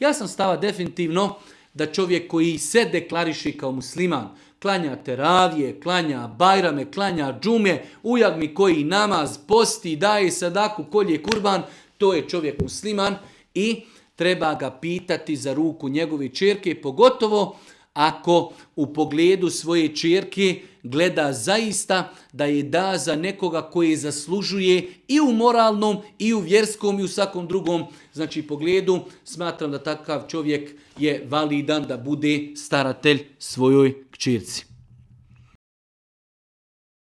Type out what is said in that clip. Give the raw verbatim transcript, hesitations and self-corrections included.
Ja sam stava definitivno da čovjek koji se deklariše kao musliman, klanja teravije, klanja bajrame, klanja džume, ujagmi koji namaz, posti, daje sadaku, kolje kurban, to je čovjek musliman i treba ga pitati za ruku njegove ćerke, pogotovo ako u pogledu svoje ćerke gleda zaista da je da za nekoga koji zaslužuje i u moralnom, i u vjerskom, i u svakom drugom znači pogledu. Smatram da takav čovjek je validan da bude staratelj svojoj kćerci.